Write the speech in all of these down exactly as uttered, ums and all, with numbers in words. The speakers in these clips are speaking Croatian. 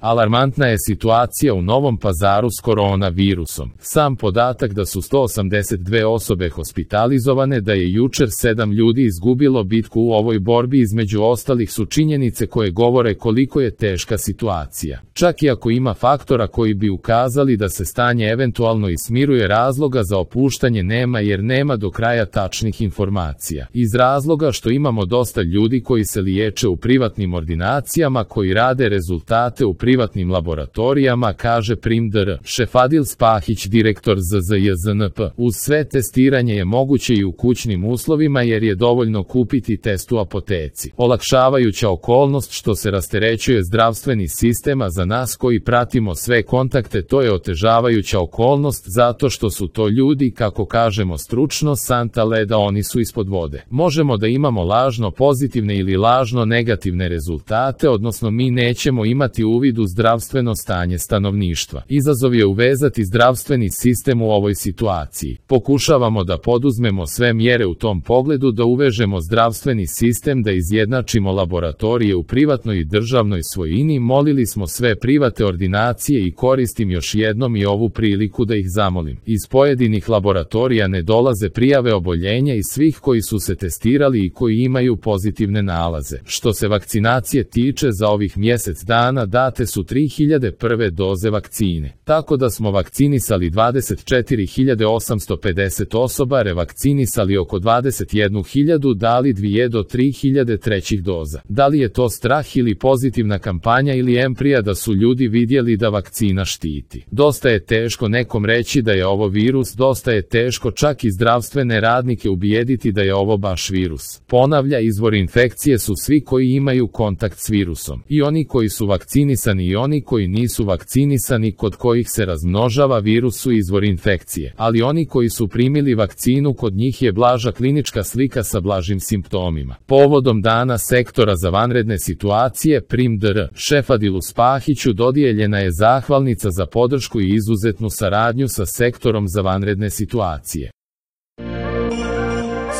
Alarmantna je situacija u Novom Pazaru s koronavirusom. Sam podatak da su sto osamdeset dve osobe hospitalizovane, da je jučer sedam ljudi izgubilo bitku u ovoj borbi, između ostalih su činjenice koje govore koliko je teška situacija. Čak i ako ima faktora koji bi ukazali da se stanje eventualno i smiruje, razloga za opuštanje nema, jer nema do kraja tačnih informacija. Iz razloga što imamo dosta ljudi koji se liječe u privatnim ordinacijama, koji rade rezultate u privatnim laboratorijama, kaže Prim dr. Šefadil Spahić, direktor Z Z J Z N P. Uz sve testiranje je moguće i u kućnim uslovima, jer je dovoljno kupiti test u apoteci. Olakšavajuća okolnost što se rasterećuje zdravstveni sistem, a za nas koji pratimo sve kontakte to je otežavajuća okolnost, zato što su to ljudi, kako kažemo stručno, santa leda, oni su ispod vode. Možemo da imamo lažno pozitivne ili lažno negativne rezultate, odnosno mi nećemo imati uvid u zdravstveno stanje stanovništva. Izazov je uvezati zdravstveni sistem u ovoj situaciji. Pokušavamo da poduzmemo sve mjere u tom pogledu, da uvežemo zdravstveni sistem, da izjednačimo laboratorije u privatnoj i državnoj svojini. Molili smo sve private ordinacije i koristim još jednom i ovu priliku da ih zamolim. Iz pojedinih laboratorija ne dolaze prijave oboljenja i svih koji su se testirali i koji imaju pozitivne nalaze. Što se vakcinacije tiče, za ovih mjesec dana date su tri hiljade prve doze vakcine. Tako da smo vakcinisali dvadeset četiri hiljade osamsto pedeset osoba, revakcinisali oko dvadeset jednu hiljadu, dali dvije do tri hiljade trećih doza. Da li je to strah ili pozitivna kampanja ili emprija da su ljudi vidjeli da vakcina štiti? Dosta je teško nekom reći da je ovo virus, dosta je teško čak i zdravstvene radnike ubijediti da je ovo baš virus. Ponavlja, izvor infekcije su svi koji imaju kontakt s virusom. I oni koji su vakcinisani i oni koji nisu vakcinisani, kod kojih se razmnožava virus, su izvor infekcije. Ali oni koji su primili vakcinu, kod njih je blaža klinička slika sa blažim simptomima. Povodom dana sektora za vanredne situacije Prim dr. Šefadilu Spahiću dodijeljena je zahvalnica za podršku i izuzetnu saradnju sa sektorom za vanredne situacije.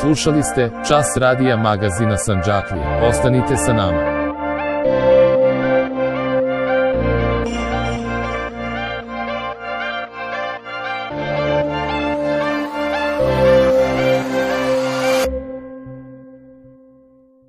Slušali ste Čas radija magazina Sandžaklija. Ostanite sa nama.